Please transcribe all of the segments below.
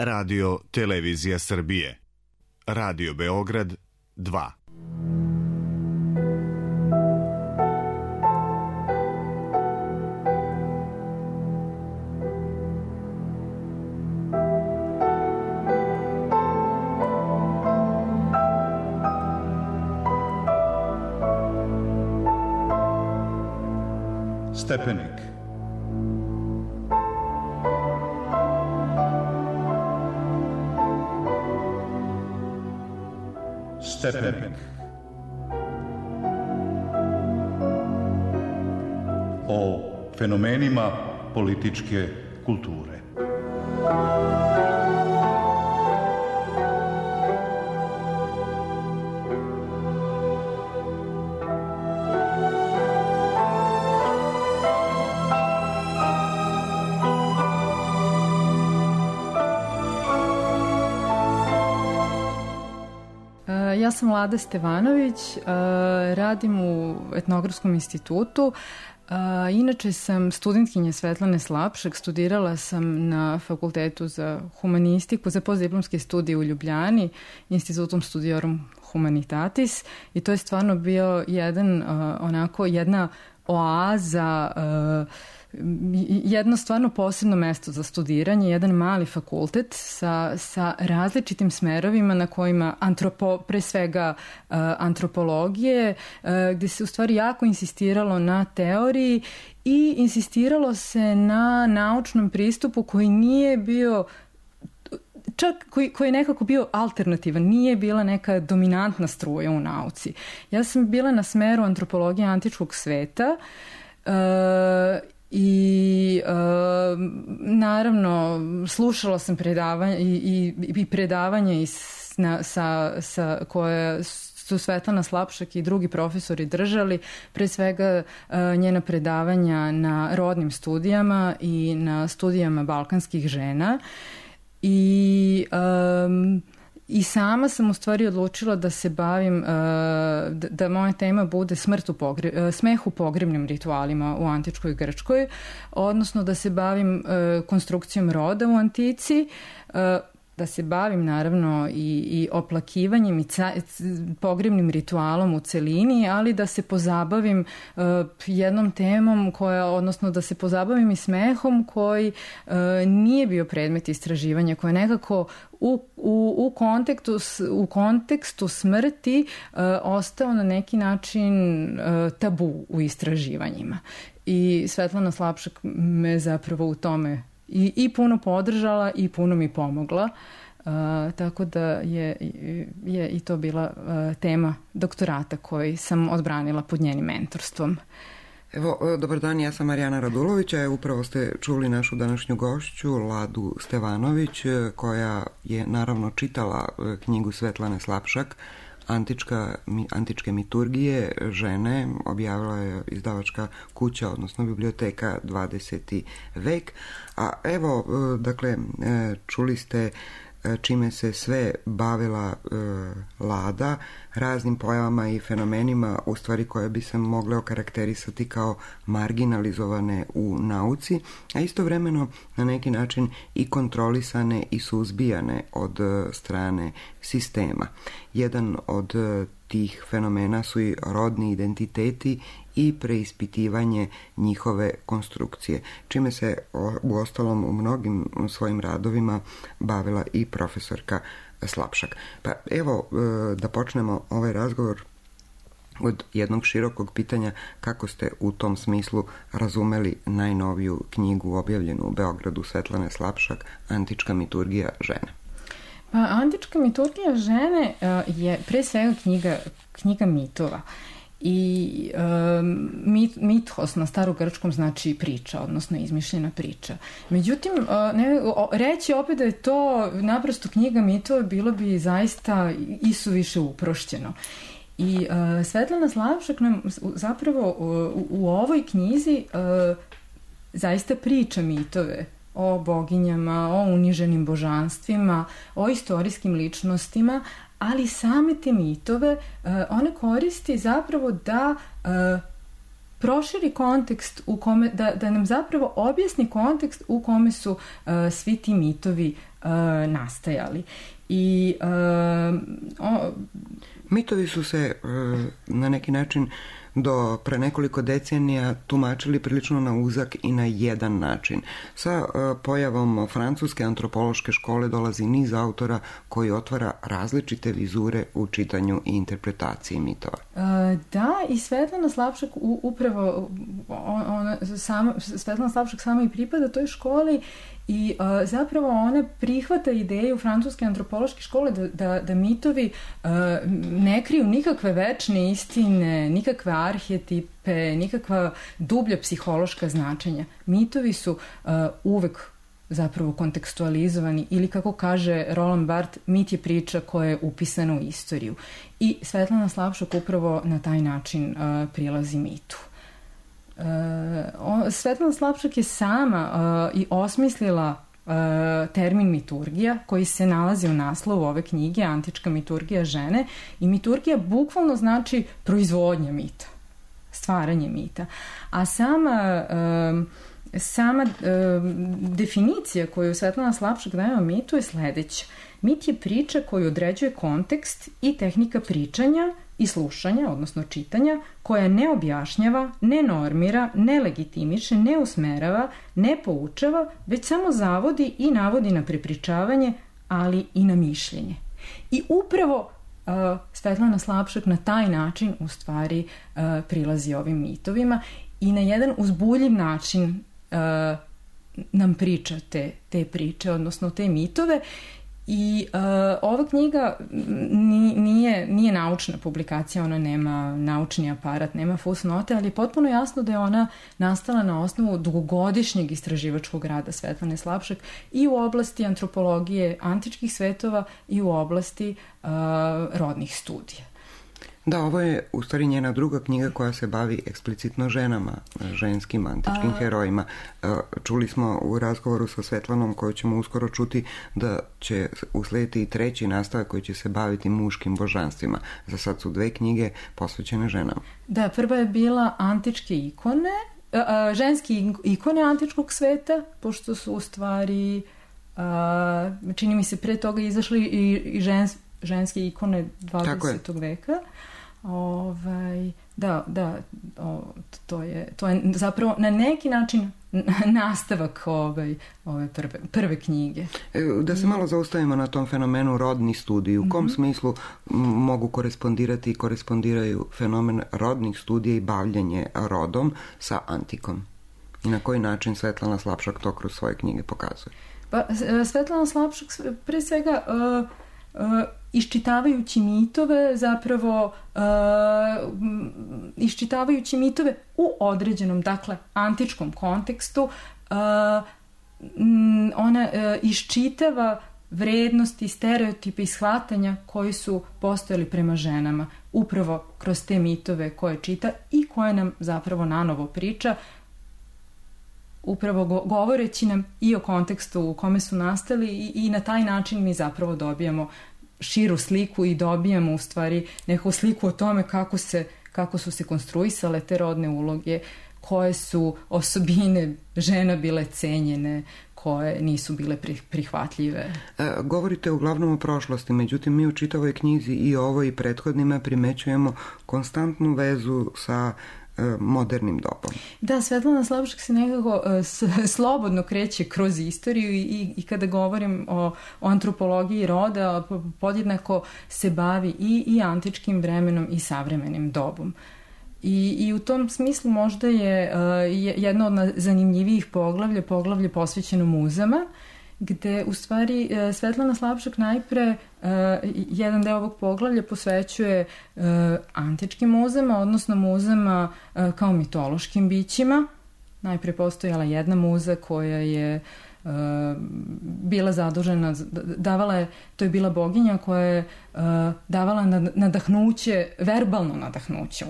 Radio Televizija Srbije. Radio Beograd 2. Stepenik. Stepenik. O fenomenima političke kulture. Ja sam Vlada Stevanović, radim u Etnografskom institutu. Inače sam studentkinja Svetlane Slapšak, studirala sam na Fakultetu za humanistiku, za postdiplomske studije u Ljubljani, Institutom Studiorum Humanitatis, i to je stvarno bio jedna oaza, jedno stvarno posebno mesto za studiranje, jedan mali fakultet sa različitim smerovima na kojima pre svega antropologije, gde se u stvari jako insistiralo na teoriji i insistiralo se na naučnom pristupu koji nije bio čak koji je nekako bio alternativan, nije bila neka dominantna struja u nauci. Ja sam bila na smeru antropologije antičkog sveta i naravno slušala sam predavanja i predavanja koje su Svetlana Slapšak i drugi profesori držali, pre svega njena predavanja na rodnim studijama i na studijama balkanskih žena. I sama sam u stvari odlučila da se bavim, da moja tema bude smeh u pogrebnim ritualima u antičkoj Grčkoj, odnosno da se bavim konstrukcijom roda u antici, da se bavim naravno i oplakivanjem i pogrebnim ritualom u celini, ali da se pozabavim jednom temom odnosno da se pozabavim i smehom koji nije bio predmet istraživanja, koji je nekako u kontekstu smrti ostao na neki način tabu u istraživanjima. I Svetlana Slapšak me zapravo u tome i puno podržala i puno mi pomogla, tako da je i to bila tema doktorata koji sam odbranila pod njenim mentorstvom. Evo, dobar dan, ja sam Marijana Radulović, a upravo ste čuli našu današnju gošću, Ladu Stevanović, koja je naravno čitala knjigu Svetlane Slapšak, Antičke miturgije žene, objavila je izdavačka kuća, odnosno biblioteka 20. vek. A evo, dakle, čuli ste čime se sve bavila Lada, raznim pojavama i fenomenima, u stvari koje bi se mogle okarakterisati kao marginalizovane u nauci, a istovremeno na neki način i kontrolisane i suzbijane od strane sistema. Jedan od tih fenomena su i rodni identiteti i preispitivanje njihove konstrukcije, čime se uostalom u mnogim svojim radovima bavila i profesorka Slapšak. Pa evo da počnemo ovaj razgovor od jednog širokog pitanja: kako ste u tom smislu razumeli najnoviju knjigu objavljenu u Beogradu Svetlane Slapšak, Antička miturgija žene? Pa, Antička miturgija žene je pre svega knjiga mitova. I mithos na starogrčkom znači priča, odnosno izmišljena priča. Međutim, reći opet da je to naprosto knjiga mitova bilo bi zaista isuviše uprošćeno. I Svetlana Slapšak nam zapravo u ovoj knjizi zaista priča mitove o boginjama, o uniženim božanstvima, o istorijskim ličnostima, ali same te mitove ona koristi zapravo da proširi kontekst u kome, da nam zapravo objasni kontekst u kome su svi ti mitovi nastajali. I mitovi su se na neki način do pre nekoliko decenija tumačili prilično na uzak i na jedan način. Sa pojavom francuske antropološke škole dolazi niz autora koji otvara različite vizure u čitanju i interpretaciji mitova. Da, i Svetlana Slavšak upravo Svetlana Slavšak sama i pripada toj školi i zapravo ona prihvata ideju francuske antropološke škole da mitovi ne kriju nikakve večne istine, nikakve arhetipe, nikakva dublja psihološka značenja. Mitovi su uvek zapravo kontekstualizovani ili kako kaže Roland Barthes, mit je priča koja je upisana u istoriju. I Svetlana Slavšak upravo na taj način prilazi mitu. Svetlana Slavšak je sama i osmislila termin miturgija koji se nalazi u naslovu ove knjige, Antička miturgija žene, i miturgija bukvalno znači proizvodnja mita, stvaranje mita. A sama definicija koju Svetlana Slavšak daje o mitu je sledeća. Mit je priča koju određuje kontekst i tehnika pričanja i slušanja, odnosno čitanja, koja ne objašnjava, ne normira, ne legitimiše, ne usmerava, ne poučava, već samo zavodi i navodi na prepričavanje, ali i na mišljenje. I upravo Svetlana Slavšak na taj način u stvari prilazi ovim mitovima i na jedan uzbuljiv način nam priča te priče, odnosno te mitove. I ova knjiga nije naučna publikacija, ona nema naučni aparat, nema fusnote, ali je potpuno jasno da je ona nastala na osnovu dugogodišnjeg istraživačkog rada Svetlane Slavšak i u oblasti antropologije antičkih svetova i u oblasti rodnih studija. Da, ovo je u stvari njena druga knjiga koja se bavi eksplicitno ženama, ženskim antičkim herojima. Čuli smo u razgovoru sa Svetlanom, koju ćemo uskoro čuti, da će uslediti i treći nastavak koji će se baviti muškim božanstvima. Za sad su 2 knjige posvećene ženama. Da, prva je bila antičke ikone, ženske ikone antičkog sveta, pošto su u stvari, čini mi se, pre toga izašli i ženske ikone 20. veka. To je zapravo na neki način nastavak ove prve knjige. Da se malo zaustavimo na tom fenomenu rodni studij. U kom smislu mogu korespondirati i korespondiraju fenomen rodnih studija i bavljenje rodom sa antikom? I na koji način Svetlana Slavšak to kroz svoje knjige pokazuje? Pa, Svetlana Slavšak pre svega iščitavajući mitove, zapravo iščitavajući mitove u određenom, dakle, antičkom kontekstu, ona iščitava vrednosti, stereotipe i shvatanja koji su postojali prema ženama, upravo kroz te mitove koje čita i koje nam zapravo nanovo priča, upravo govoreći nam i o kontekstu u kome su nastali i na taj način mi zapravo dobijamo širu sliku i dobijamo u stvari neku sliku o tome kako su se konstruisale te rodne uloge, koje su osobine žena bile cenjene, koje nisu bile prihvatljive. Govorite uglavnom o prošlosti, međutim mi u čitavoj knjizi i ovoj i prethodnima primećujemo konstantnu vezu sa modernim dobom. Da, Svetlana Slavšak se nekako slobodno kreće kroz istoriju i kada govorim o antropologiji roda, podjednako se bavi i antičkim vremenom i savremenim dobom. I u tom smislu možda je jedno od zanimljivijih poglavlje posvećeno muzama, gde u stvari Svetlana Slavšak najpre jedan deo ovog poglavlja posvećuje antičkim muzama, odnosno muzama kao mitološkim bićima. Najpre postojala jedna muza koja je bila zadužena, to je bila boginja koja je davala nadahnuće, verbalno nadahnuće,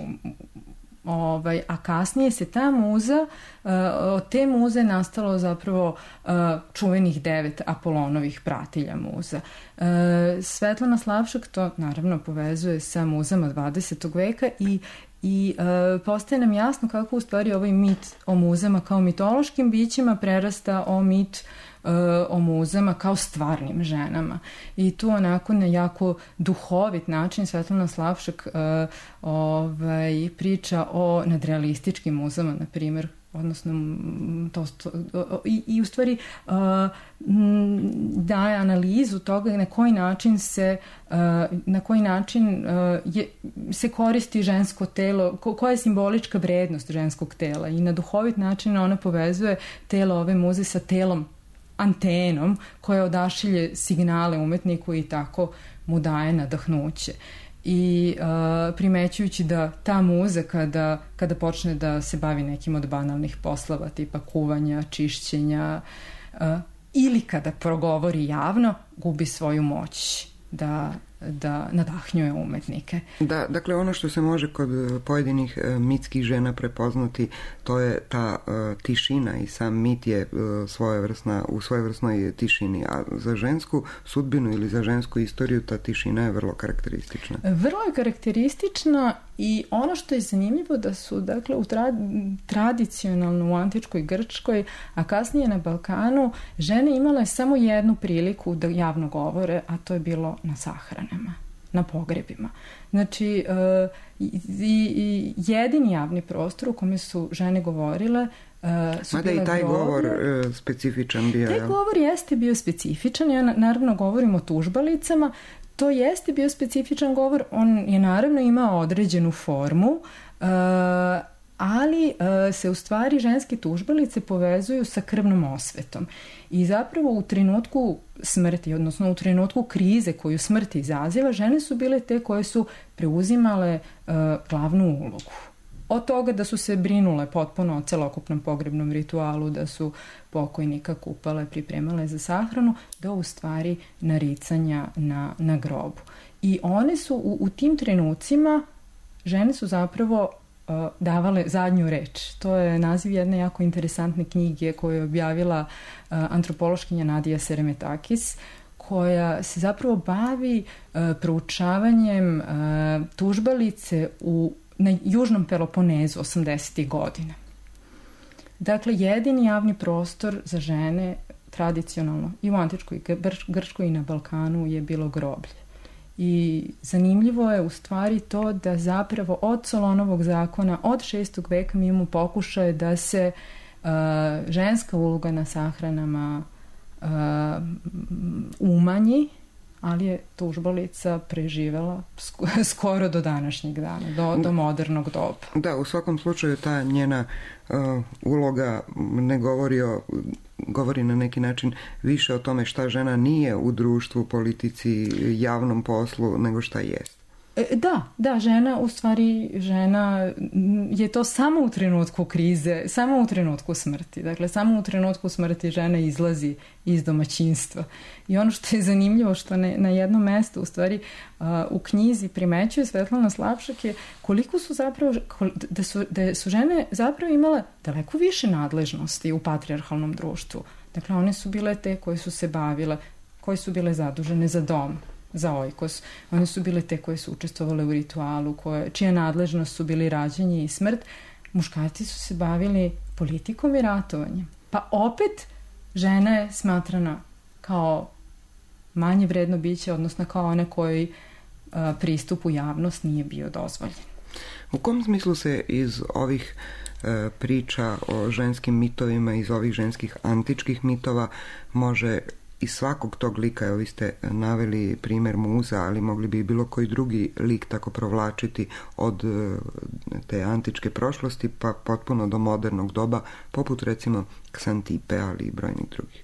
a kasnije se ta muza, od te muze nastalo zapravo čuvenih 9 Apolonovih pratilja muza. Svetlana Slavšak to naravno povezuje sa muzama 20. veka i postaje nam jasno kako u stvari ovaj mit o muzama kao mitološkim bićima prerasta o mit o muzama kao stvarnim ženama. I tu onako na jako duhovit način Svetlana Slavšak priča o nadrealističkim muzama, na primjer, odnosno i u stvari daje analizu toga na koji način se koristi žensko telo, koja je simbolička vrednost ženskog tela, i na duhovit način ona povezuje telo ove muze sa telom antenom koja odašilje signale umetniku i tako mu daje nadahnuće. I primećujući da ta muza kada počne da se bavi nekim od banalnih poslova tipa kuvanja, čišćenja ili kada progovori javno, gubi svoju moć da nadahnjuje umetnike. Da, dakle ono što se može kod pojedinih mitskih žena prepoznati, to je ta tišina, i sam mit je u svojevrsnoj tišini, a za žensku sudbinu ili za žensku istoriju ta tišina je vrlo karakteristična. Vrlo je karakteristična, i ono što je zanimljivo da su, dakle, tradicionalno u antičkoj Grčkoj, a kasnije na Balkanu, žene imale samo jednu priliku da javno govore, a to je bilo na sahranama, na pogrebima. Znači, jedini javni prostor u kome su žene govorile su mada i taj govor specifičan bio. Taj govor jeste bio specifičan. Ja naravno govorim o tužbalicama. To jeste bio specifičan govor. On je naravno imao određenu formu, ali se u stvari ženske tužbalice povezuju sa krvnom osvetom. I zapravo u trenutku smrti, odnosno u trenutku krize koju smrt izaziva, žene su bile te koje su preuzimale glavnu ulogu. Od toga da su se brinule potpuno o celokupnom pogrebnom ritualu, da su pokojnika kupale, pripremale za sahranu, do u stvari naricanja na grobu. I one su u tim trenucima, žene su zapravo davale zadnju reč. To je naziv jedne jako interesantne knjige koju je objavila antropološkinja Nadija Seremetakis, koja se zapravo bavi proučavanjem tužbalice na Južnom Peloponezu 80. godina. Dakle, jedini javni prostor za žene tradicionalno i u antičkoj Grčkoj i na Balkanu je bilo groblje. I zanimljivo je u stvari to da zapravo od Solonovog zakona, od 6. veka mi imamo pokušaje da se ženska uloga na sahranama umanji, ali je tužbalica preživela skoro do današnjeg dana, do modernog doba. Da, u svakom slučaju ta njena uloga ne govori na neki način više o tome šta žena nije u društvu, politici, javnom poslu, nego šta jest. Da, žena je to samo u trenutku krize, samo u trenutku smrti. Dakle, samo u trenutku smrti žena izlazi iz domaćinstva. I ono što je zanimljivo, što na jednom mestu, u stvari, u knjizi primećuje Svetlana Slavšak, je koliko su zapravo, da su žene zapravo imale daleko više nadležnosti u patrijarhalnom društvu. Dakle, one su bile te koje su se bavile, koje su bile zadužene za dom, za ojkos. One su bile te koje su učestvovale u ritualu, čija nadležnost su bili rađanje i smrt. Muškarci su se bavili politikom i ratovanjem. Pa opet žena je smatrana kao manje vredno biće, odnosno kao one koji pristup u javnost nije bio dozvoljen. U kom smislu se iz ovih priča o ženskim mitovima, iz ovih ženskih antičkih mitova može iz svakog tog lika, evo vi ste naveli primjer muza, ali mogli bi i bilo koji drugi lik tako provlačiti od te antičke prošlosti pa potpuno do modernog doba, poput recimo Ksantipe, ali i brojnih drugih?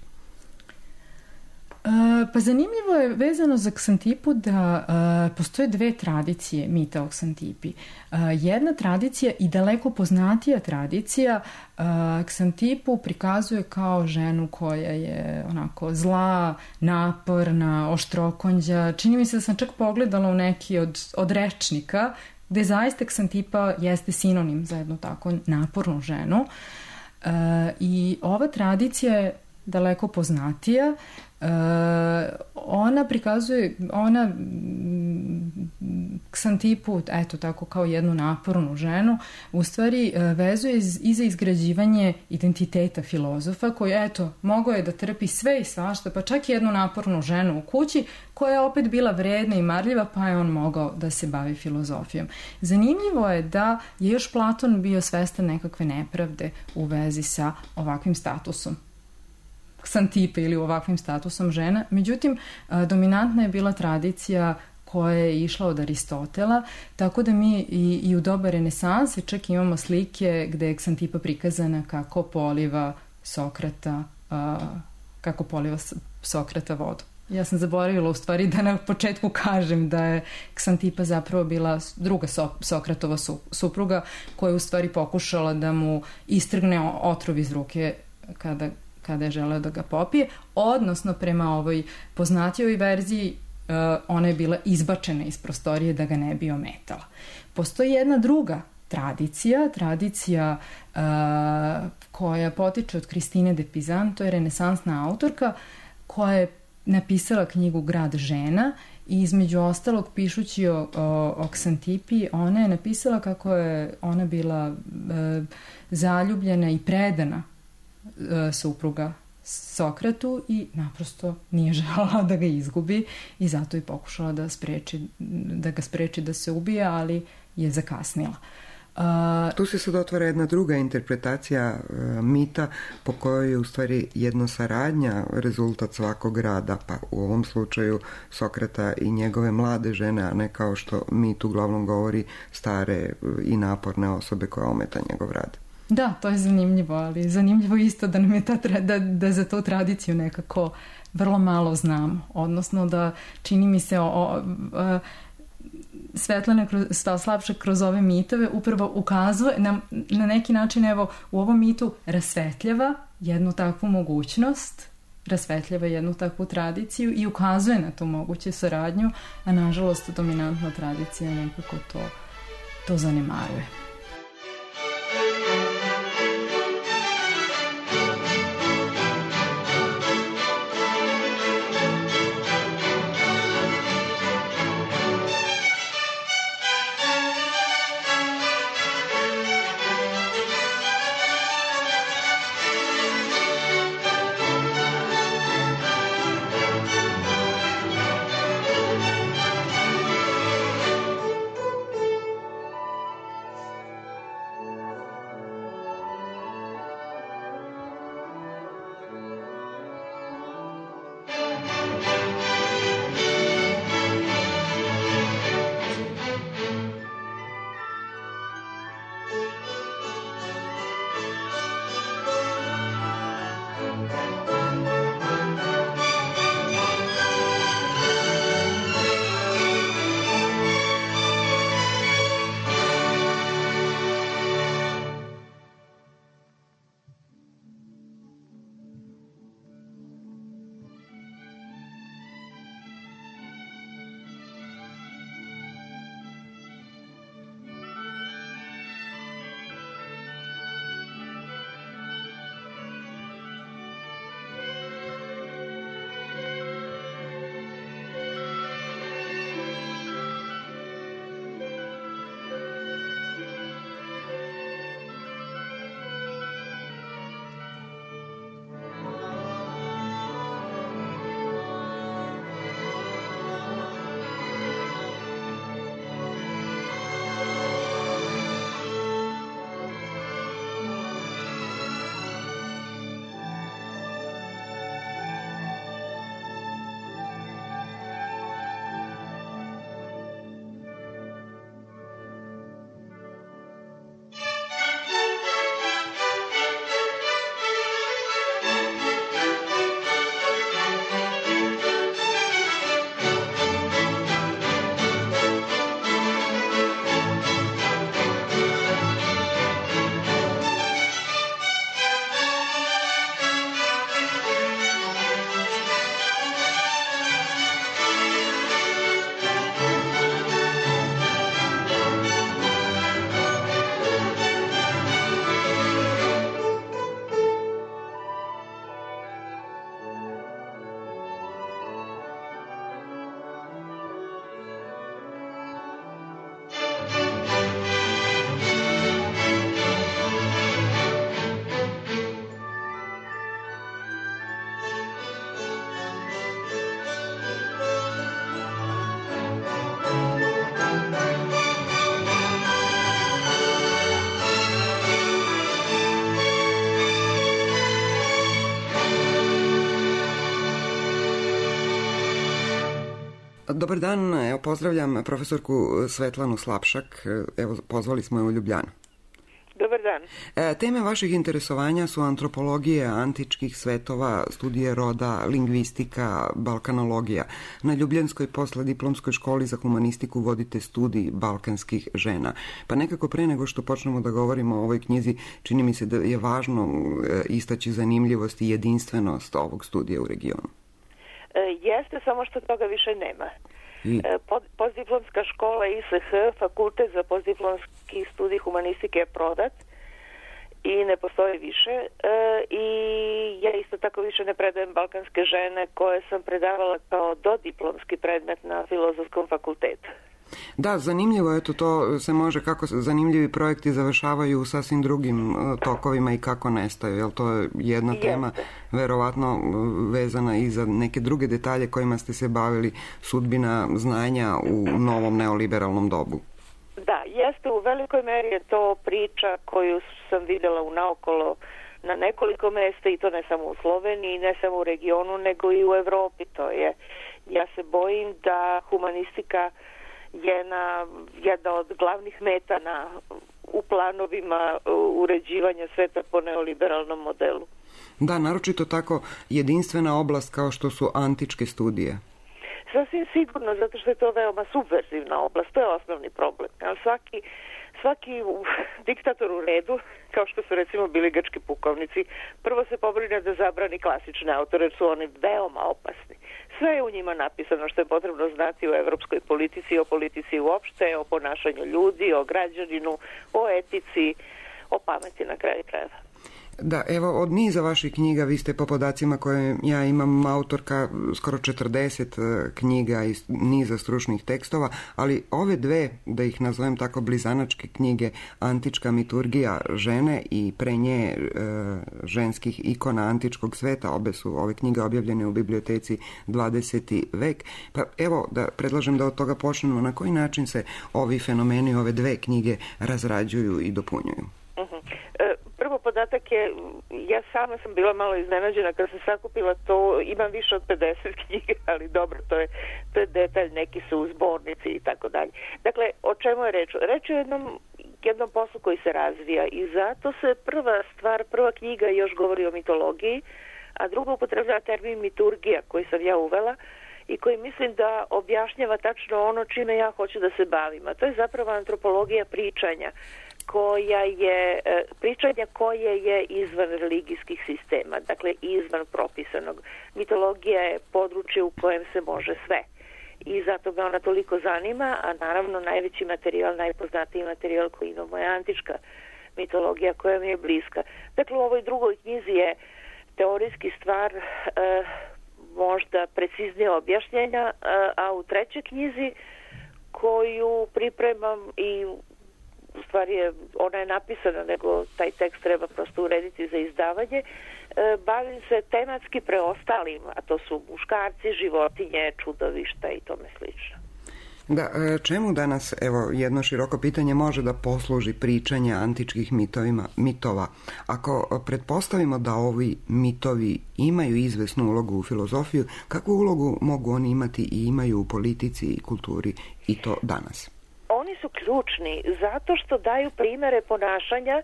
Pa zanimljivo je vezano za Ksantipu da postoje dve tradicije mita o Ksantipi. Jedna tradicija i daleko poznatija tradicija Ksantipu prikazuje kao ženu koja je onako zla, naporna, oštrokonđa. Čini mi se da sam čak pogledala u neki od rečnika gde zaista Ksantipa jeste sinonim za jednu tako napornu ženu. I ova tradicija je daleko poznatija. Ksantipu, eto tako kao jednu napornu ženu, u stvari vezuje i za izgrađivanje identiteta filozofa koji, eto, mogao je da trpi sve i svašta, pa čak i jednu napornu ženu u kući koja je opet bila vredna i marljiva, pa je on mogao da se bavi filozofijom. Zanimljivo je da je još Platon bio svestan nekakve nepravde u vezi sa ovakvim statusom Ksantipe ili ovakvim statusom žena. Međutim, dominantna je bila tradicija koja je išla od Aristotela, tako da mi i u doba renesanse čak imamo slike gde je Ksantipa prikazana kako poliva Sokrata vodu. Ja sam zaboravila u stvari da na početku kažem da je Ksantipa zapravo bila druga Sokratova supruga koja je u stvari pokušala da mu istrgne otrov iz ruke kada je želeo da ga popije, odnosno prema ovoj poznatijoj verziji ona je bila izbačena iz prostorije da ga ne bi ometala. Postoji jedna druga tradicija koja potiče od Kristine de Pizan, to je renesansna autorka koja je napisala knjigu Grad žena i između ostalog pišući o Ksantipi, ona je napisala kako je ona bila zaljubljena i predana supruga Sokratu i naprosto nije želela da ga izgubi i zato je pokušala da ga spreči da se ubije, ali je zakasnila. Tu se sad otvara jedna druga interpretacija mita po kojoj je u stvari jednosaradnja rezultat svakog rada, pa u ovom slučaju Sokrata i njegove mlade žene, a ne kao što mit uglavnom govori stare i naporne osobe koja ometa njegov rad. Da, to je zanimljivo, ali zanimljivo isto da nam je da za tu tradiciju nekako vrlo malo znamo, odnosno da čini mi se Svetlana Slapšak kroz ove mitove upravo ukazuje na neki način, evo, u ovom mitu rasvetljava jednu takvu mogućnost, rasvetljava jednu takvu tradiciju i ukazuje na tu moguću saradnju, a nažalost dominantna tradicija nekako to zanemaruje. Dobar dan, evo pozdravljam profesorku Svetlanu Slapšak, evo pozvali smo je u Ljubljanu. Dobar dan. Teme vaših interesovanja su antropologija antičkih svetova, studije roda, lingvistika, balkanologija. Na Ljubljanskoj posleddiplomskoj školi za humanistiku vodite studij balkanskih žena. Pa nekako pre nego što počnemo da govorimo o ovoj knjizi, čini mi se da je važno istaći zanimljivost i jedinstvenost ovog studija u regionu. Jeste, samo što toga više nema. Postdiplomska škola ISH, fakultet za postdiplomski studij humanistike je prodat i ne postoji više. I ja isto tako više ne predajem balkanske žene koje sam predavala kao dodiplomski predmet na Filozofskom fakultetu. Da, zanimljivo, eto to se može, kako zanimljivi projekti završavaju u sasvim drugim tokovima i kako nestaju, jel to je jedna tema verovatno vezana i za neke druge detalje kojima ste se bavili, sudbina znanja u novom neoliberalnom dobu. Da, jeste, u velikoj meri je to priča koju sam videla unaokolo na nekoliko mesta i to ne samo u Sloveniji, ne samo u regionu, nego i u Evropi. Ja se bojim da humanistika jedna od glavnih meta u planovima uređivanja sveta po neoliberalnom modelu. Da, naročito tako jedinstvena oblast kao što su antičke studije. Sasvim sigurno, zato što je to veoma subverzivna oblast, to je osnovni problem. Svaki diktator u redu, kao što su recimo bili grčki pukovnici, prvo se pobrine da zabrani klasične autore, jer su oni veoma opasni. Sve je u njima napisano što je potrebno znati o evropskoj politici, o politici uopšte, o ponašanju ljudi, o građaninu, o etici, o pameti na kraju krajeva. Da, evo, od niza vaših knjiga, vi ste po podacima koje ja imam autorka skoro 40 knjiga i niza stručnih tekstova, ali ove dve, da ih nazovem tako blizanačke knjige, Antička miturgija žene i pre nje ženskih ikona antičkog sveta, obe su ove knjige objavljene u biblioteci 20. vek. Pa evo, da predlažem da od toga počnemo, na koji način se ovi fenomeni, ove dve knjige razrađuju i dopunjuju? Prvo podatak je, ja sama sam bila malo iznenađena kad sam sakupila to, imam više od 50 knjiga, ali dobro, to je detalj, neki su u zbornici i tako dalje. Dakle, o čemu je reč? Reč je o jednom poslu koji se razvija i zato se prva knjiga još govori o mitologiji, a druga upotrebljava termin miturgija koji sam ja uvela i koji mislim da objašnjava tačno ono čime ja hoću da se bavim, a to je zapravo antropologija pričanja koje je izvan religijskih sistema, dakle izvan propisanog. Mitologija je područje u kojem se može sve i zato me ona toliko zanima, a naravno najveći materijal, najpoznatiji materijal koji imamo je antička mitologija koja mi je bliska. Dakle, u ovoj drugoj knjizi je teorijski stvar možda preciznije objašnjenja, a u trećoj knjizi koju pripremam i u stvari ona je napisana, nego taj tekst treba prosto urediti za izdavanje, bavim se tematski preostalim, a to su muškarci, životinje, čudovišta i tome slično. Da, čemu danas, evo, jedno široko pitanje može da posluži pričanje antičkih mitova? Ako pretpostavimo da ovi mitovi imaju izvesnu ulogu u filozofiju, kakvu ulogu mogu oni imati i imaju u politici i kulturi i to danas? Oni su ključni zato što daju primere ponašanja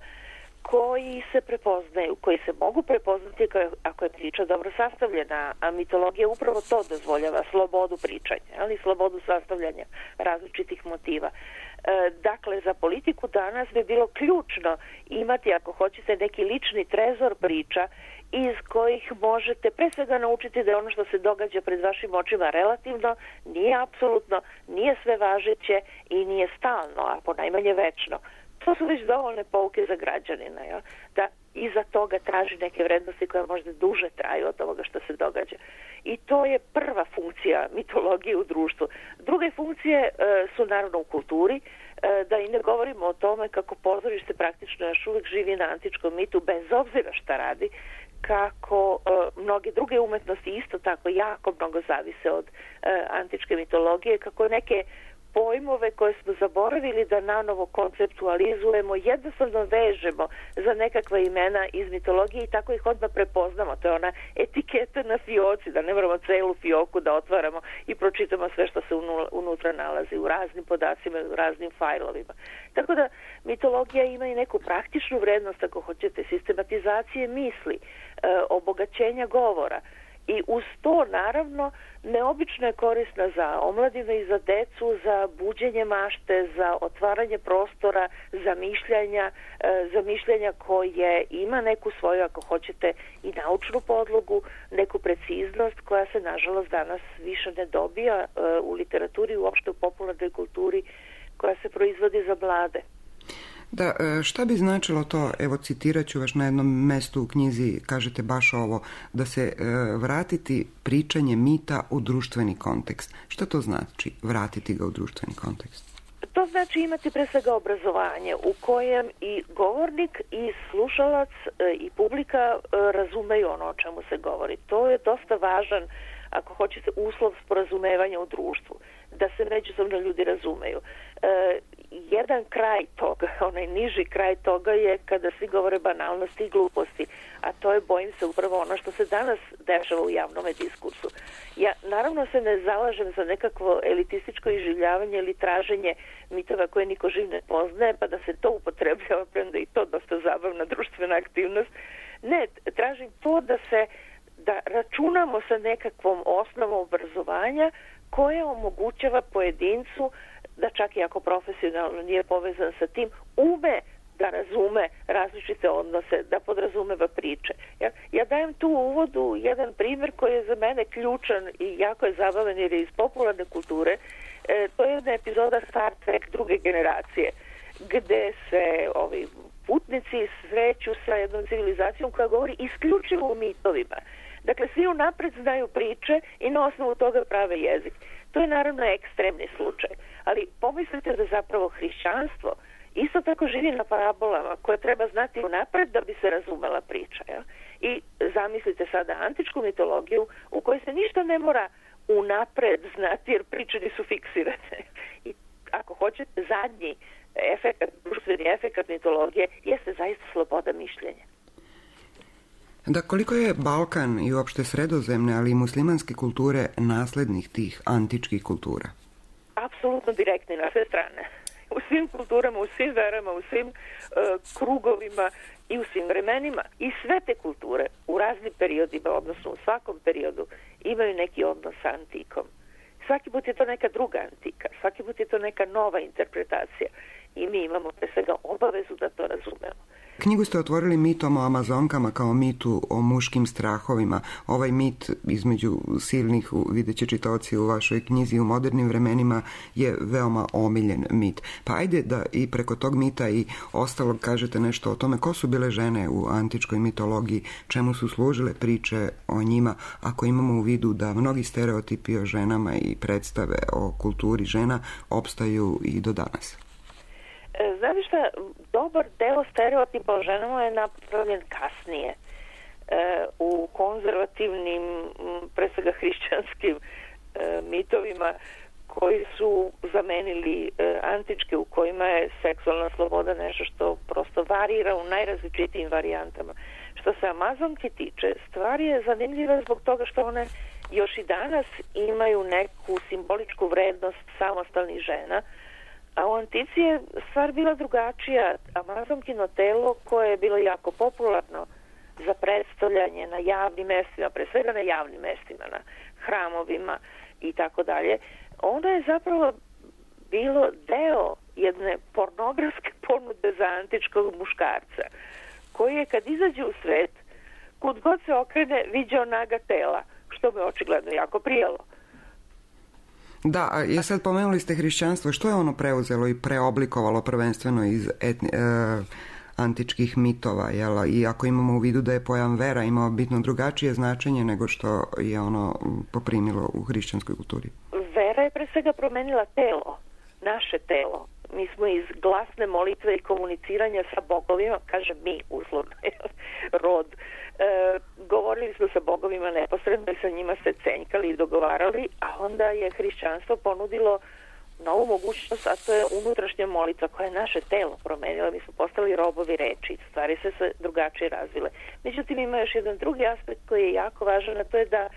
koji se prepoznaju, koji se mogu prepoznati ako je priča dobro sastavljena, a mitologija upravo to dozvoljava, slobodu pričanja, ali slobodu sastavljanja različitih motiva. Dakle, za politiku danas bi bilo ključno imati, ako hoćete, neki lični trezor priča iz kojih možete pre svega naučiti da je ono što se događa pred vašim očima relativno, nije apsolutno, nije sve važeće i nije stalno, a ponajmanje večno. To su već dovoljne pouke za građanina, ja? Da iza toga traži neke vrednosti koje možda duže traju od ovoga što se događa. I to je prva funkcija mitologije u društvu. Druge funkcije su naravno u kulturi, da i ne govorimo o tome kako pozorište praktično još uvijek živi na antičkom mitu bez obzira šta radi, kako mnoge druge umetnosti isto tako jako mnogo zavise od antičke mitologije, kako neke pojmove koje smo zaboravili da nanovo konceptualizujemo, jednostavno vežemo za nekakva imena iz mitologije i tako ih odmah prepoznamo. To je ona etiketa na fioci, da ne moramo celu fioku da otvaramo i pročitamo sve što se unutra nalazi u raznim podacima, u raznim fajlovima. Tako da mitologija ima i neku praktičnu vrednost, ako hoćete, sistematizacije misli, obogaćenja govora. I uz to, naravno, neobično je korisna za omladinu i za decu, za buđenje mašte, za otvaranje prostora, za mišljenja koje ima neku svoju, ako hoćete, i naučnu podlogu, neku preciznost koja se, nažalost, danas više ne dobija u literaturi, uopšte u popularnoj kulturi koja se proizvodi za mlade. Da, šta bi značilo to, evo citirat ću vas na jednom mestu u knjizi, kažete baš ovo, da se vratiti pričanje mita u društveni kontekst. Šta to znači, vratiti ga u društveni kontekst? To znači imati pre svega obrazovanje u kojem i govornik i slušalac i publika razumeju ono o čemu se govori. To je dosta važan, ako hoćete, uslov sporazumevanja u društvu, da se međusobno ljudi razumeju. Jedan kraj toga, onaj niži kraj toga je kada svi govore banalnosti i gluposti, a to je, bojim se, upravo ono što se danas dešava u javnom diskursu. Ja naravno se ne zalažem za nekakvo elitističko iživljavanje ili traženje mitova koje niko živ ne poznaje, pa da se to upotrebljava, premda i to dosta zabavna društvena aktivnost. Ne, tražim to da računamo sa nekakvom osnovom obrazovanja koja omogućava pojedincu da čak i ako profesionalno nije povezan sa tim, ume da razume različite odnose, da podrazumeva priče. Ja dajem tu u uvodu jedan primjer koji je za mene ključan i jako je zabavan jer je iz popularne kulture. To je jedna epizoda Star Trek druge generacije, gde se ovi putnici sreću sa jednom civilizacijom koja govori isključivo o mitovima. Dakle, svi unapred znaju priče i na osnovu toga prave jezik. To je naravno ekstremni slučaj, ali pomislite da zapravo hrišćanstvo isto tako živi na parabolama koje treba znati unapred da bi se razumela priča. Ja? I zamislite sada antičku mitologiju u kojoj se ništa ne mora unapred znati jer priče nisu fiksirane. I ako hoćete, zadnji efekat, društveni efekat mitologije jeste zaista sloboda mišljenja. Da, koliko je Balkan i uopšte sredozemne, ali i muslimanske kulture naslednih tih antičkih kultura? Apsolutno direktni na sve strane. U svim kulturama, u svim verama, u svim krugovima i u svim vremenima. I sve te kulture u raznim periodima, odnosno u svakom periodu, imaju neki odnos sa antikom. Svaki put je to neka druga antika, svaki put je to neka nova interpretacija i mi imamo pre svega obavezu da to razumemo. Knjigu ste otvorili mitom o Amazonkama kao mitu o muškim strahovima. Ovaj mit između silnih, vidjet će čitaoci u vašoj knjizi, u modernim vremenima je veoma omiljen mit. Pa ajde da i preko tog mita i ostalog kažete nešto o tome ko su bile žene u antičkoj mitologiji, čemu su služile priče o njima, ako imamo u vidu da mnogi stereotipi o ženama i predstave o kulturi žena opstaju i do danas. Znate šta, dobar deo stereotipa o ženama je napravljen kasnije u konzervativnim, pre svega hrišćanskim mitovima koji su zamenili antičke, u kojima je seksualna sloboda nešto što prosto varira u najrazličitijim varijantama. Što se Amazonke tiče, stvar je zanimljiva zbog toga što one još i danas imaju neku simboličku vrednost samostalnih žena, a u antici je stvar bila drugačija. Amazonkino telo koje je bilo jako popularno za predstavljanje na javnim mestima, pre svega na javnim mestima, na hramovima i tako dalje, onda je zapravo bilo deo jedne pornografske ponude za antičkog muškarca, koji je kad izađe u svet, kud god se okrene, viđao naga tela, što me očigledno jako prijelo. Da, i sad pomenuli ste hrišćanstvo. Što je ono preuzelo i preoblikovalo prvenstveno iz antičkih mitova? Jel? I ako imamo u vidu da je pojam vera imao bitno drugačije značenje nego što je ono poprimilo u hrišćanskoj kulturi? Vera je pre svega promenila telo, naše telo. Mi smo iz glasne molitve i komuniciranja sa bogovima, kažem mi, uslovno, rod, govorili smo sa bogovima neposredno i sa njima se cenjkali i dogovarali, a onda je hrišćanstvo ponudilo novu mogućnost, a to je unutrašnja molitva koja je naše telo promenila. Mi smo postali robovi reči, stvari se drugačije razvile. Međutim, ima još jedan drugi aspekt koji je jako važan, a to je da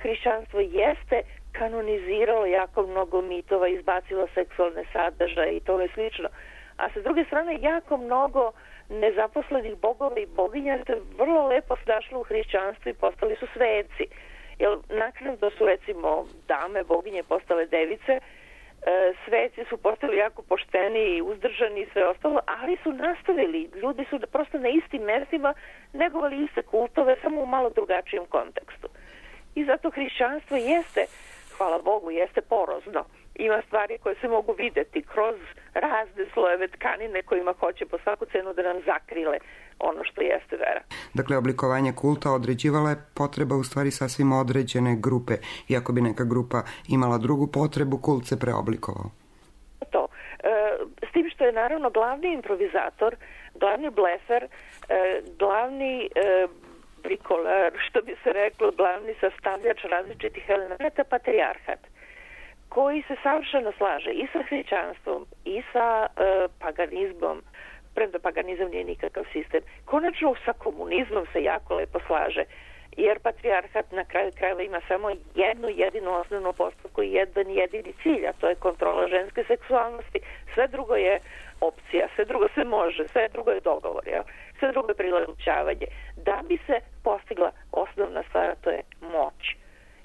hrišćanstvo jeste kanoniziralo jako mnogo mitova, izbacilo seksualne sadržaje i tome slično. A sa druge strane, jako mnogo nezaposlenih bogova i boginja se vrlo lepo snašlo u hrišćanstvu i postali su sveci. Jer naknadno su, recimo, dame, boginje postale device, sveci su postali jako pošteni i uzdržani i sve ostalo, ali su nastavili. Ljudi su prosto na istim mestima negovali iste kultove, samo u malo drugačijem kontekstu. I zato hrišćanstvo jeste, hvala Bogu, jeste porozno. Ima stvari koje se mogu videti kroz razne slojeve tkanine kojima hoće po svaku cenu da nam zakrile ono što jeste vera. Dakle, oblikovanje kulta određivala je potreba u stvari sasvim određene grupe. Iako bi neka grupa imala drugu potrebu, kult se preoblikovao. To. S tim što je naravno glavni improvizator, glavni blefer, glavni brikolar, što bi se reklo, glavni sastavljač različitih elemenata, patrijarhat, koji se savršeno slaže i sa hrišćanstvom i sa paganizmom, premda paganizam nije nikakav sistem. Konačno sa komunizmom se jako lepo slaže, jer patrijarhat na kraju krajeva ima samo jednu jedinu osnovnu postavku i jedan jedini cilj, a to je kontrola ženske seksualnosti. Sve drugo je opcija, sve drugo se može, sve drugo je dogovor, jel? Sve drugo je prilagođavanje. Da bi se postigla osnovna stvar, to je moć.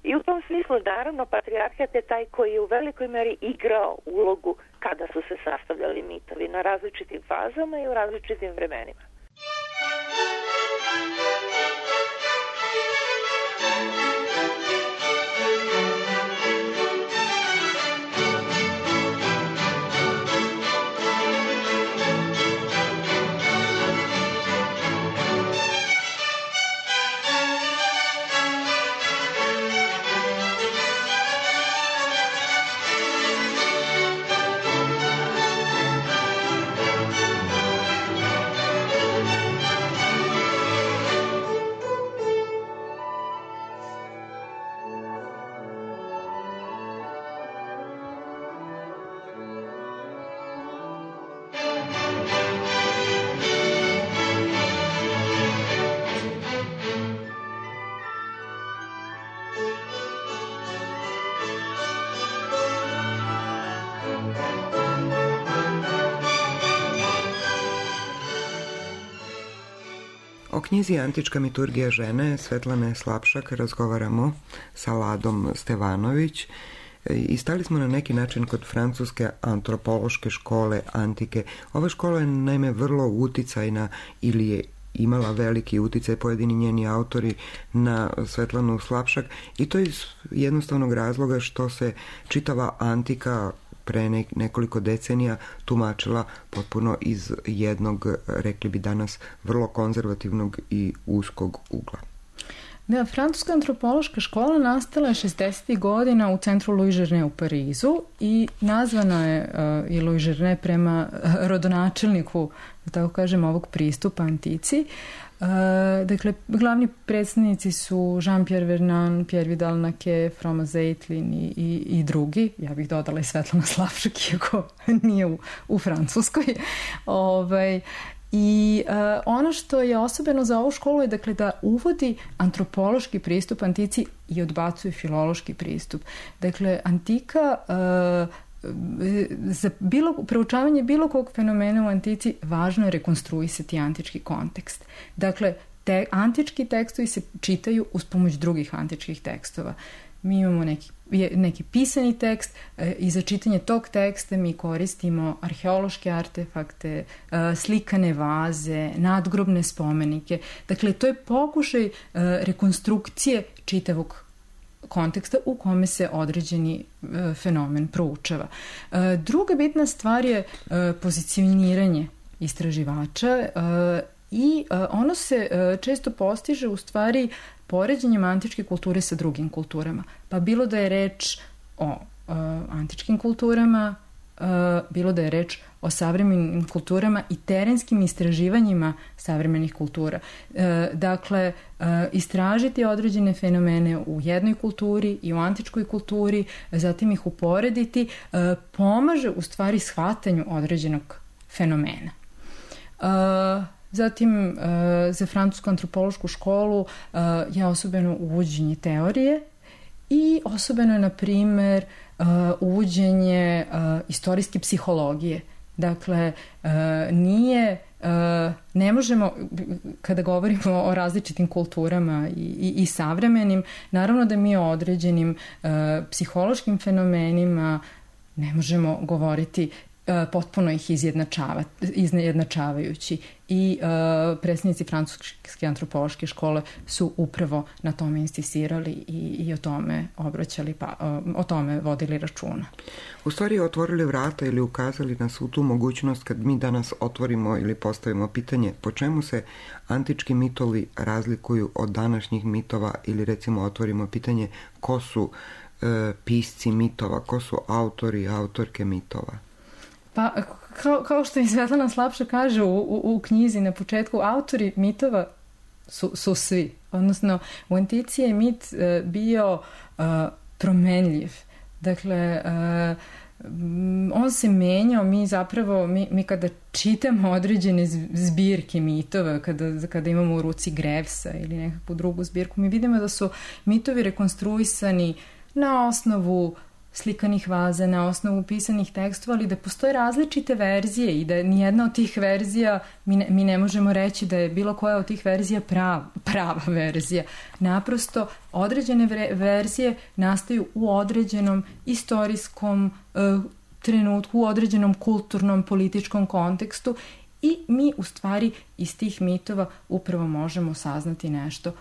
I u tom smislu, naravno, patrijarhat je taj koji je u velikoj meri igrao ulogu kada su se sastavljali mitovi na različitim fazama i u različitim vremenima. O knjizi Antička miturgija žene Svetlane Slapšak razgovaramo sa Ladom Stevanović i stali smo na neki način kod francuske antropološke škole antike. Ova škola je naime vrlo uticajna ili je imala veliki uticaj pojedini njeni autori na Svetlanu Slapšak i to iz jednostavnog razloga što se čitava antika pre nekoliko decenija tumačila potpuno iz jednog, rekli bi danas, vrlo konzervativnog i uskog ugla. Da, francuska antropološka škola nastala je 60. godina u centru Louis Journet u Parizu i nazvana je i Louis Journet prema rodonačelniku, da tako kažem, ovog pristupa antici. Dakle, glavni predstavnici su Jean-Pierre Vernant, Pierre Vidal-Naquet, Froma Zeitlin i drugi. Ja bih dodala i Svetlana Slapšak, iako nije u Francuskoj. I ono što je osobeno za ovu školu je, dakle, da uvodi antropološki pristup antici i odbacuje filološki pristup. Dakle, antika za proučavanje bilo kog fenomena u antici važno je rekonstruisati antički kontekst. Dakle, antički tekstovi se čitaju uz pomoć drugih antičkih tekstova. Mi imamo neki pisani tekst i za čitanje tog teksta mi koristimo arheološke artefakte, slikane vaze, nadgrobne spomenike. Dakle, to je pokušaj rekonstrukcije čitavog konteksta u kome se određeni fenomen proučava. Druga bitna stvar je pozicioniranje istraživača i ono se često postiže u stvari poređenjem antičke kulture sa drugim kulturama. Pa bilo da je reč o antičkim kulturama bilo da je reč o savremenim kulturama i terenskim istraživanjima savremenih kultura. Dakle, istražiti određene fenomene u jednoj kulturi i u antičkoj kulturi, zatim ih uporediti, pomaže u stvari shvatanju određenog fenomena. Zatim, za francusku antropološku školu je osobeno uvođenje teorije i osobeno je, na primer, uvođenje istorijske psihologije. Dakle, ne možemo, kada govorimo o različitim kulturama i savremenim, naravno da mi o određenim psihološkim fenomenima ne možemo govoriti potpuno ih izjednačavajući. I predstavnici francuske antropološke škole su upravo na tome insistirali i o tome obraćali, o tome vodili računa. U stvari otvorili vrata ili ukazali nas u tu mogućnost kad mi danas otvorimo ili postavimo pitanje po čemu se antički mitovi razlikuju od današnjih mitova, ili recimo otvorimo pitanje ko su pisci mitova, ko su autori i autorke mitova. Pa, kao što i Svetlana Slapša kaže u knjizi na početku, autori mitova su svi. Odnosno, u antici je mit bio promenljiv. Dakle, on se menjao, mi kada čitamo određene zbirke mitova, kada imamo u ruci Grevsa ili nekakvu drugu zbirku, mi vidimo da su mitovi rekonstruisani na osnovu slikanih vaza, na osnovu pisanih tekstova, ali da postoje različite verzije i da nijedna od tih verzija, mi ne možemo reći da je bilo koja od tih verzija prava verzija. Naprosto, određene verzije nastaju u određenom istorijskom trenutku, u određenom kulturnom, političkom kontekstu i mi u stvari iz tih mitova upravo možemo saznati nešto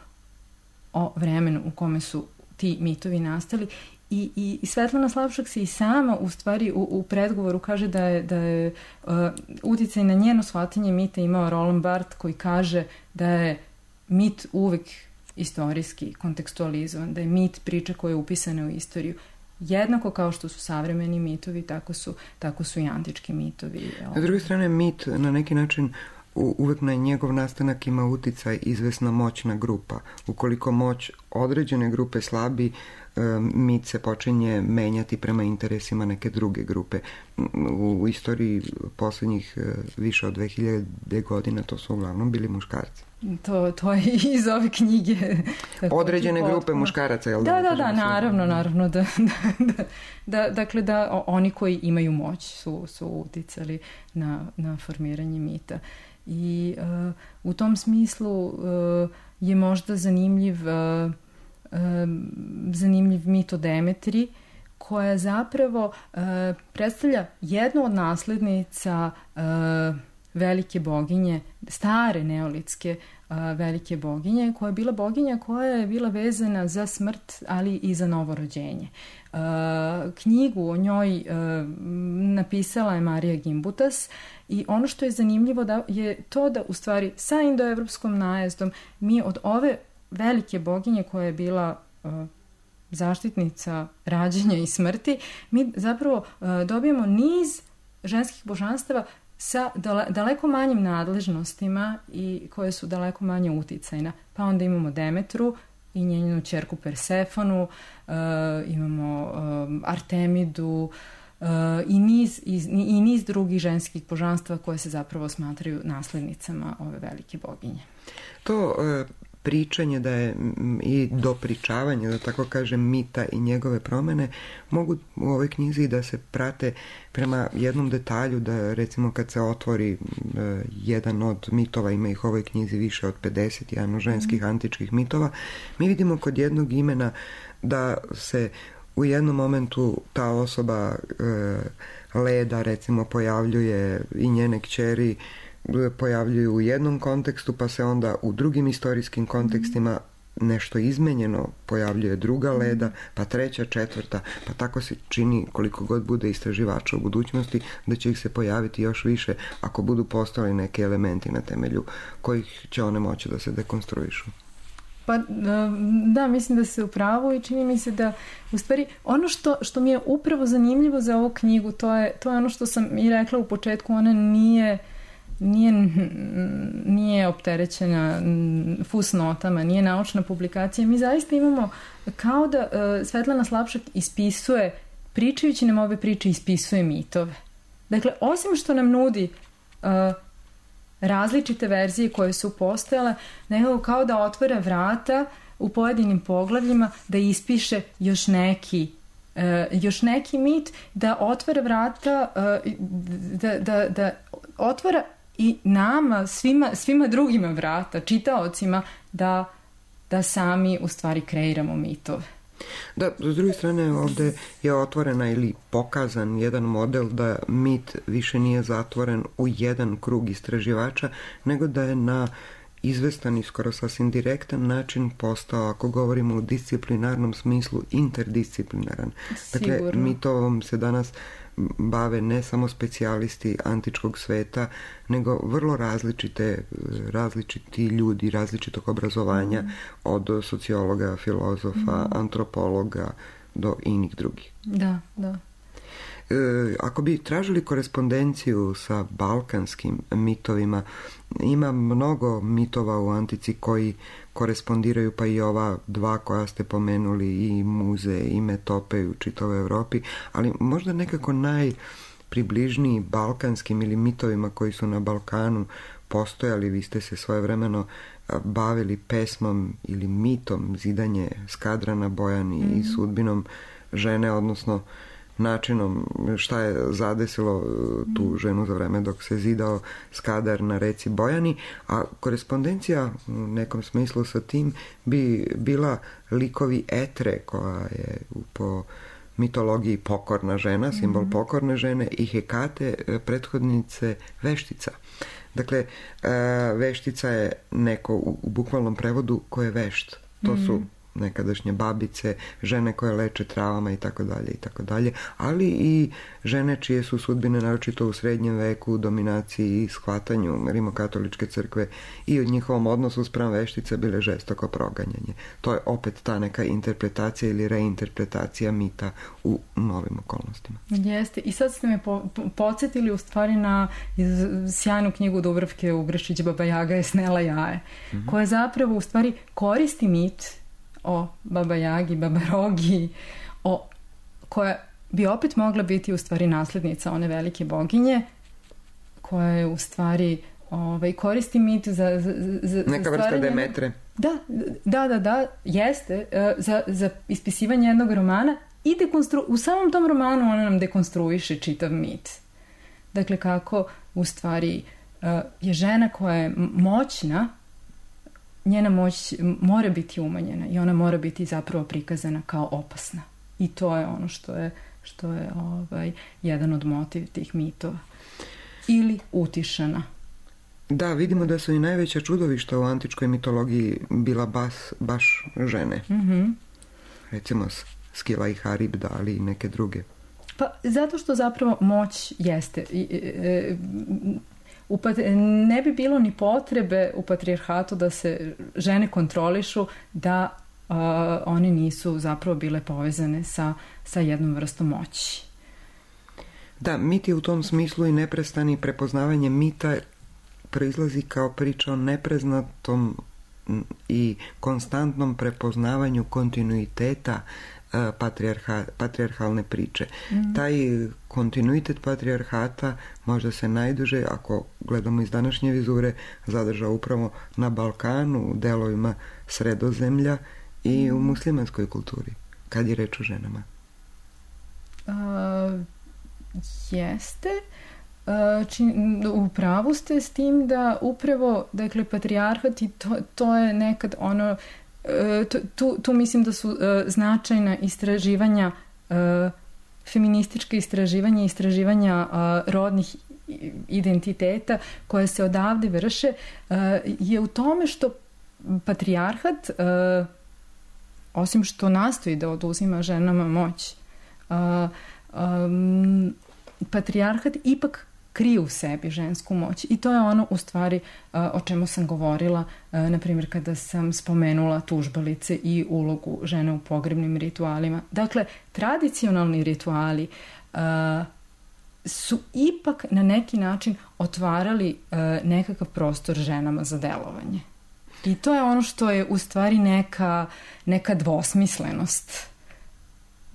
o vremenu u kome su ti mitovi nastali. I Svetlana Slapšak se i sama u stvari u predgovoru kaže da je uticaj na njeno shvatanje mita imao Roland Barthes, koji kaže da je mit uvek istorijski kontekstualizovan, da je mit priča koja je upisana u istoriju. Jednako kao što su savremeni mitovi, tako su i antički mitovi. Na druge strane, mit na neki način uvek na njegov nastanak ima uticaj izvesna moćna grupa. Ukoliko moć određene grupe slabi, mit se počinje menjati prema interesima neke druge grupe. U istoriji poslednjih više od 2000 godina to su uglavnom bili muškarci. To je iz ove knjige. Određene grupe muškaraca, jel da? Da, naravno. Dakle, da oni koji imaju moć su uticali na formiranje mita. I u tom smislu je možda zanimljiv mit o Demetri, koja zapravo predstavlja jednu od naslednica velike boginje, stare neolitske velike boginje, koja je bila boginja koja je bila vezana za smrt, ali i za novo rođenje. Knjigu o njoj napisala je Marija Gimbutas i ono što je zanimljivo je to da u stvari sa indoevropskom najezdom mi od ove velike boginje koja je bila zaštitnica rađenja i smrti, mi zapravo dobijemo niz ženskih božanstava sa daleko manjim nadležnostima i koje su daleko manje uticajna. Pa onda imamo Demetru i njenu ćerku Persefonu, imamo Artemidu i niz drugih ženskih božanstva koje se zapravo smatraju naslednicama ove velike boginje. To pričanje da je i dopričavanje, da tako kažem, mita i njegove promene mogu u ovoj knjizi da se prate prema jednom detalju, da recimo kad se otvori jedan od mitova, ima ih u ovoj knjizi više od 50, jedan od ženskih antičkih mitova, mi vidimo kod jednog imena da se u jednom momentu ta osoba Leda recimo pojavljuje i njene kćeri pojavljuju u jednom kontekstu, pa se onda u drugim istorijskim kontekstima nešto izmenjeno, pojavljuje druga Leda, pa treća, četvrta, pa tako se čini koliko god bude istraživača u budućnosti da će ih se pojaviti još više ako budu postojali neki elementi na temelju kojih će one moći da se dekonstruišu. Pa da, mislim da se u pravu i čini mi se da u stvari ono što mi je upravo zanimljivo za ovu knjigu, to je ono što sam i rekla u početku, ona nije opterećena fusnotama, nije naučna publikacija. Mi zaista imamo kao da Svetlana Slapšak ispisuje, pričajući nam ove priče, ispisuje mitove. Dakle, osim što nam nudi različite verzije koje su postojale, nekako kao da otvara vrata u pojedinim poglavljima da ispiše još neki mit, da otvara vrata, da otvara i nama, svima drugima vrata, čitaocima, da sami u stvari kreiramo mitove. Da, s druge strane ovde je otvorena ili pokazan jedan model da mit više nije zatvoren u jedan krug istraživača, nego da je na izvestan i skoro sasvim direktan način postao, ako govorimo u disciplinarnom smislu, interdisciplinaran. Dakle, mitovom se danas bave ne samo specijalisti antičkog sveta, nego vrlo različiti ljudi, različitog obrazovanja, od sociologa, filozofa, antropologa do inih drugih. Da. Ako bi tražili korespondenciju sa balkanskim mitovima, ima mnogo mitova u antici koji korespondiraju, pa i ova dva koja ste pomenuli, i Muze i Metope u čitavoj Evropi, ali možda nekako najpribližniji balkanskim ili mitovima koji su na Balkanu postojali. Vi ste se svojevremeno bavili pesmom ili mitom zidanje Skadra na Bojani i sudbinom žene, odnosno načinom šta je zadesilo tu ženu za vreme dok se zidao Skadar na reci Bojani, a korespondencija u nekom smislu sa tim bi bila likovi Etre, koja je po mitologiji pokorna žena, simbol pokorne žene, i Hekate, prethodnice veštica. Dakle, veštica je neko u bukvalnom prevodu ko je vešt. To su nekadašnje babice, žene koje leče travama i tako dalje, ali i žene čije su sudbine naročito u srednjem veku, u dominaciji i shvatanju rimokatoličke crkve i od njihovom odnosu spram veštice bile žestoko proganjanje. To je opet ta neka interpretacija ili reinterpretacija mita u novim okolnostima. Jeste, i sad ste me podsjetili u stvari na sjajnu knjigu Dubravke Ugrešić, Baba Jaga je snela jaje, koja zapravo u stvari koristi mit o Baba Jagi, Baba Rogi, koja bi opet mogla biti u stvari nasljednica one velike boginje, koja je u stvari koristi mit za neka vrsta Demetre. Da, jeste, za ispisivanje jednog romana i u samom tom romanu ona nam dekonstruiše čitav mit. Dakle, kako u stvari je žena koja je moćna, njena moć mora biti umanjena i ona mora biti zapravo prikazana kao opasna. I to je ono što je jedan od motiv tih mitova. Ili utišana. Da, vidimo da su i najveća čudovišta u antičkoj mitologiji bila baš žene. Recimo Skila i Haribda, ali i neke druge. Pa zato što zapravo moć jeste... ne bi bilo ni potrebe u patrijarhatu da se žene kontrolišu, da one nisu zapravo bile povezane sa jednom vrstom moći. Da, mit je u tom smislu i neprestani prepoznavanje mita proizlazi kao priča o nepreznatom i konstantnom prepoznavanju kontinuiteta patrijarhalne priče. Taj kontinuitet patrijarhata možda se najduže, ako gledamo iz današnje vizure, zadržao upravo na Balkanu, u delovima Sredozemlja i u muslimanskoj kulturi, kad je reč o ženama. Jeste. U pravu ste s tim da upravo, dakle, patrijarhat i to je nekad ono, tu mislim da su značajna istraživanja, feminističke istraživanja rodnih identiteta koje se odavde vrše, je u tome što patrijarhat, osim što nastoji da oduzima ženama moć, patrijarhat ipak kriju u sebi žensku moć. I to je ono u stvari o čemu sam govorila, na primjer kada sam spomenula tužbalice i ulogu žene u pogrebnim ritualima. Dakle, tradicionalni rituali su ipak na neki način otvarali nekakav prostor ženama za delovanje. I to je ono što je u stvari neka dvosmislenost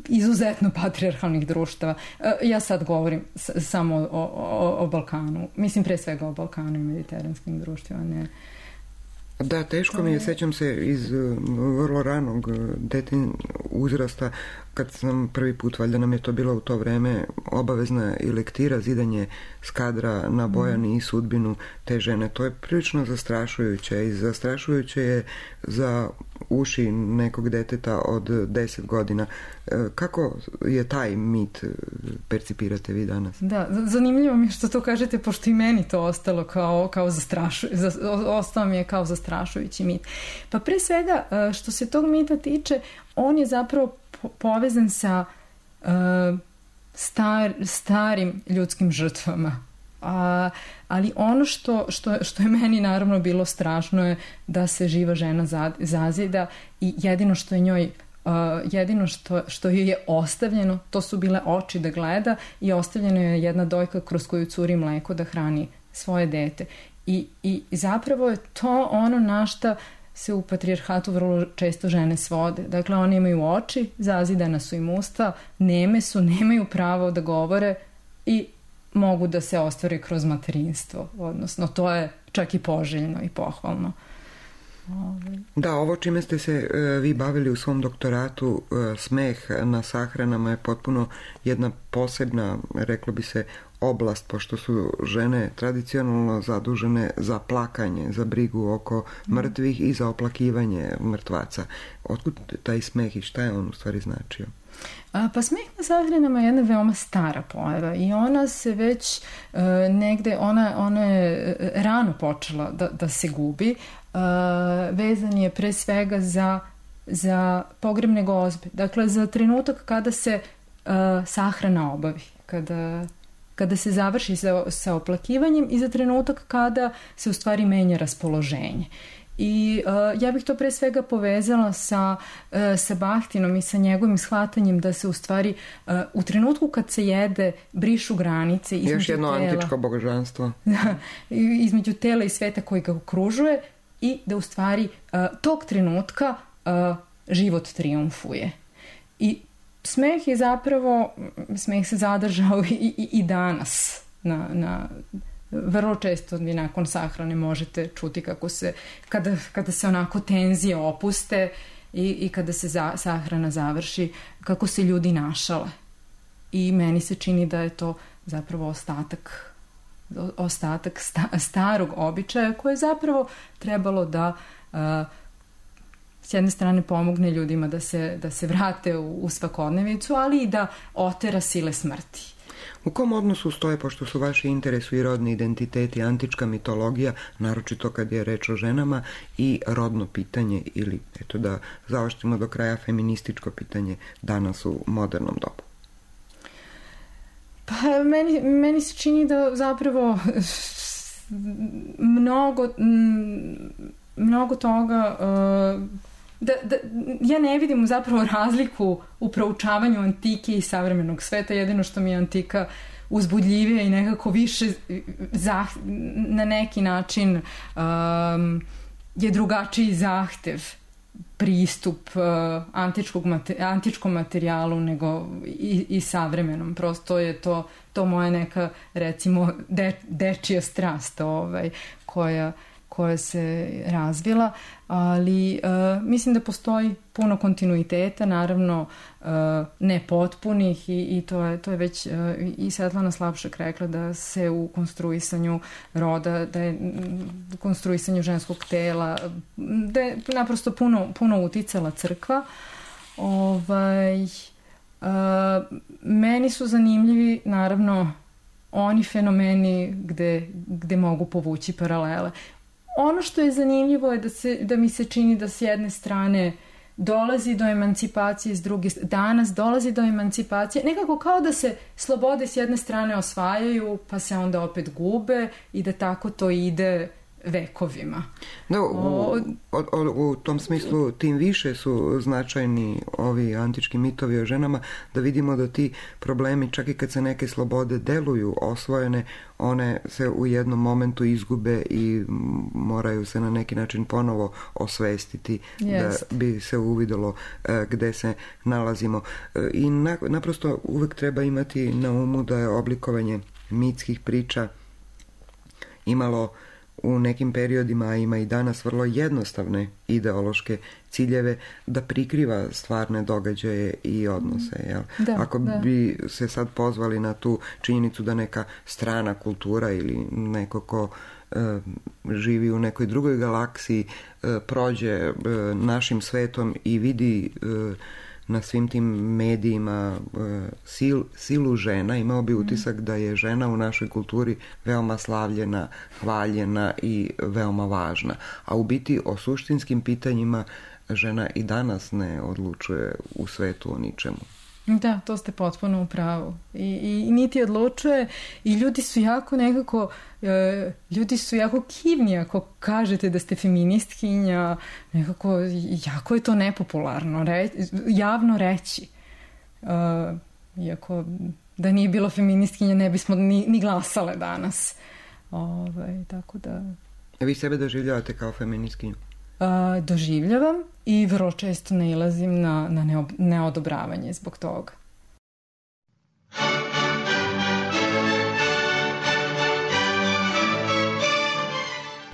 izuzetno patrijarhalnih društava. Ja sad govorim samo o Balkanu. Mislim pre svega o Balkanu i mediteranskim društvima, ne. Da, teško mi je, sećam se iz vrlo ranog uzrasta, kad sam prvi put, valjda nam je to bilo u to vreme, obavezna i lektira, zidanje skadra na Bojani i sudbinu te žene. To je prilično zastrašujuće i zastrašujuće je za uši nekog deteta od 10 godina. Kako je taj mit percipirate vi danas? Da, zanimljivo mi je što to kažete, pošto i meni to ostalo ostao mi je kao zastrašujući mit. Pa pre svega, što se tog mita tiče, on je zapravo povezan sa starim ljudskim žrtvama. Ali ono što je meni naravno bilo strašno je da se živa žena zazida i jedino što je njoj jedino što joj je ostavljeno, to su bile oči da gleda i ostavljeno je jedna dojka kroz koju curi mleko da hrani svoje dete. I zapravo je to ono na šta se u patrijarhatu vrlo često žene svode. Dakle, one imaju oči, zazidana su im usta, neme su, nemaju pravo da govore i mogu da se ostvare kroz materinstvo. Odnosno, to je čak i poželjno i pohvalno. Da, ovo čime ste se vi bavili u svom doktoratu, smeh na sahranama, je potpuno jedna posebna, reklo bi se, oblast, pošto su žene tradicionalno zadužene za plakanje, za brigu oko mrtvih i za oplakivanje mrtvaca. Otkud taj smeh i šta je on u stvari značio? Pa smeh na sahranama je jedna veoma stara pojava i ona se već negde, ona je rano počela da se gubi. Vezan je pre svega za pogrebne gozbe. Dakle, za trenutak kada se sahrana obavi, kada se završi sa oplakivanjem i za trenutak kada se u stvari menja raspoloženje. I ja bih to pre svega povezala sa Bahtinom i sa njegovim shvatanjem da se u stvari u trenutku kad se jede brišu granice između još jedno tela, antičko božanstvo. između tela i sveta koji ga okružuje i da u stvari tog trenutka život triumfuje. I smeh je zapravo, smeh se zadržao i danas vrlo često vi nakon sahrane možete čuti kako se, kada se onako tenzije opuste i kada se sahrana završi, kako se ljudi našale. I meni se čini da je to zapravo ostatak starog običaja koje je zapravo trebalo da s jedne strane pomogne ljudima da se vrate u svakodnevicu, ali i da otera sile smrti. U kom odnosu stoje, pošto su vaši interesu i rodni identiteti, antička mitologija, naročito kad je reč o ženama, i rodno pitanje, ili eto da zaoštrimo do kraja, feminističko pitanje danas u modernom dobu? Pa meni se čini da zapravo mnogo toga ja ne vidim zapravo razliku u proučavanju antike i savremenog sveta. Jedino što mi je antika uzbudljivija i nekako više na neki način je drugačiji zahtev pristup antičkom materijalu nego i savremenom. Prosto je to moja neka, recimo, dečija strast koja se razvila, ali mislim da postoji puno kontinuiteta, naravno ne potpunih i to je već i Svetlana Slapšak rekla da se u konstruisanju roda, da je u konstruisanju ženskog tela, da je naprosto puno uticala crkva. Meni su zanimljivi naravno oni fenomeni gde mogu povući paralele. Ono što je zanimljivo je da mi se čini da s jedne strane dolazi do emancipacije s druge strane, danas dolazi do emancipacije, nekako kao da se slobode s jedne strane osvajaju, pa se onda opet gube i da tako to ide vekovima. Da, u tom smislu tim više su značajni ovi antički mitovi o ženama, da vidimo da ti problemi, čak i kad se neke slobode deluju osvojene, one se u jednom momentu izgube i moraju se na neki način ponovo osvestiti da bi se uvidelo gde se nalazimo. I naprosto uvek treba imati na umu da je oblikovanje mitskih priča imalo u nekim periodima, a ima i danas, vrlo jednostavne ideološke ciljeve da prikriva stvarne događaje i odnose. Jel? Ako bi se sad pozvali na tu činjenicu da neka strana kultura ili neko ko živi u nekoj drugoj galaksiji prođe našim svetom i vidi na svim tim medijima silu žena, imao bi utisak da je žena u našoj kulturi veoma slavljena, hvaljena i veoma važna. A u biti o suštinskim pitanjima žena i danas ne odlučuje u svetu o ničemu. Da, to ste potpuno u pravu. I niti odlučuje i ljudi su jako nekako, ljudi su jako kivni ako kažete da ste feministkinja, nekako jako je to nepopularno javno reći. Iako da nije bilo feministkinja ne bismo ni glasale danas. Tako da... Vi sebe doživljavate kao feministkinju? Doživljavam i vrlo često nailazim na neodobravanje zbog toga.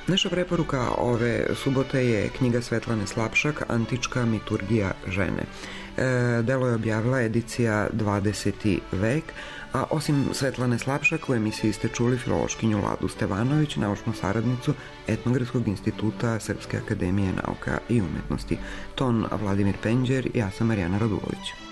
Naša preporuka ove subote je knjiga Svetlane Slapšak, Antička miturgija žene. Delo je objavila edicija 20. vek, a osim Svetlane Slapšak u emisiji ste čuli filološkinju Ladu Stevanović, naučnu saradnicu Etnografskog instituta Srpske akademije nauka i umetnosti. Ton Vladimir Penđer i ja sam Marijana Radulović.